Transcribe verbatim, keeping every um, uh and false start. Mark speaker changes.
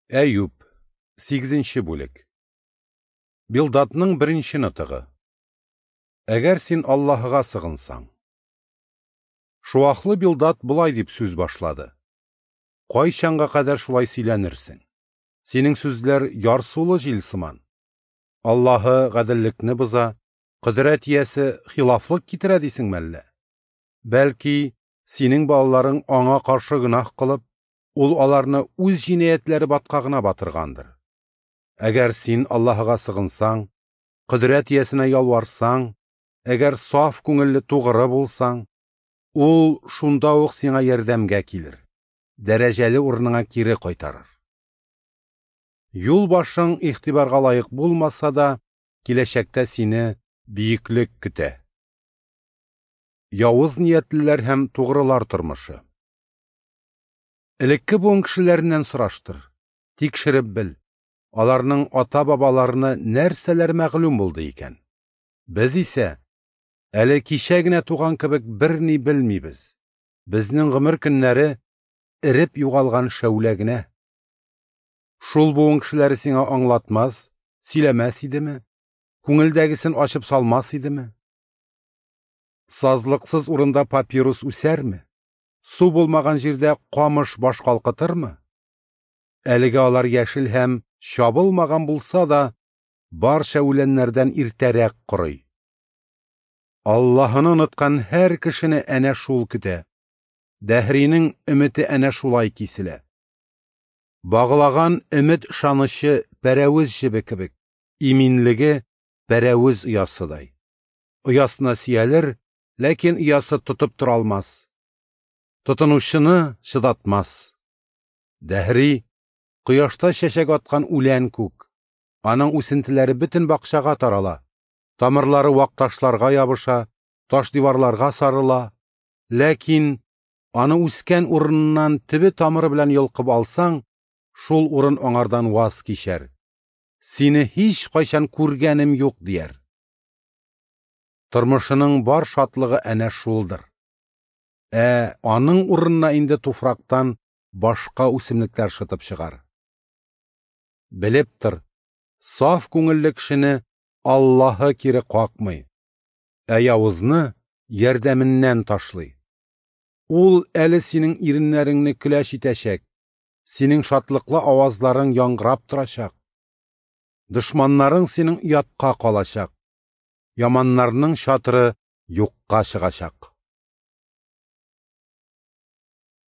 Speaker 1: Әюп, сигезенче бүлек. Билдадның беренче нотыгы. Әгәр син Аллаһыга сыгынсаң. Шуахлы Билдад болай дип сүз башлады. Кайчанга кадәр шулай сөйләнерсең? Синең сүзләр ярсулы җил сыман. Аллаһы гаделлекне боза, кодрәт иясе хилафлык китерә дисеңме әллә? Бәлки, синең балаларың аңа каршы гөнаһ кылып, ул аларны үз җинаятьләре баткагына батыргандыр. Әгәр син Аллаһыга сыгынсаң, кодрәт иясенә ялварсаң, әгәр саф күңелле тугры булсаң, ул шунда ук сиңа ярдәмгә килер, дәрәҗәле урыныңа кире кайтарыр. Юл башың игътибарга лаек булмаса да, киләчәктә сине бөеклек көтә. Явыз ниятлеләр һәм тугрылар тормышы. Элекке буын кешеләреннән сораштыр, тикшереп бел, аларның ата-бабаларына нәрсәләр мәгълүм булды икән. Без исә әле кичә генә туган кебек берни белмибез. Безнең гомер көннәре эреп югалган шәүлә генә. Шул буын кешеләре сиңа аңлатмас, сөйләмәс идеме? Күңелдәгесен ачып салмас идеме? Сазлыксыз урында папирус үсәрме? Су булмаган җирдә камыш баш калкытырмы? Әлегә алар яшел һәм чабылмаган булса да, барча үләннәрдән иртәрәк корый. Аллаһыны оныткан һәр кешене әнә шул көтә. Дәһринең өмете әнә шулай киселә. Багылаган өмет ышанычы пәрәвез җебе кебек, иминлеге пәрәвез оясыдай. Оясына сөялер, ләкин оясы тотып тора алмас. Тотынучыны чыдатмас. Дәһри, кояшта чәчәк аткан үлән күк. Аның үсентеләре бөтен бакчага тарала. Тамырлары вак ташларга ябыша, таш диварларга сарыла. Ләкин аны үскән урыныннан төбе тамыры белән йолкып алсаң, шул урын аңардан ваз кичәр. Сине һич кайчан күргәнем юк дияр. Тормышының бар шатлыгы әнә шулдыр. Ә аның урынына инде туфрактан башка үсемлекләр шытып чыгар. Белеп тор, саф күңелле кешене Аллаһы кире какмый, ә явызны ярдәменнән ташлый. Ул әле синең иреннәреңне көләч итәчәк, синең шатлыклы авазларың яңгырап торачак. Дошманнарың синең оятка калачак, яманнарның чатыры юкка чыгачак.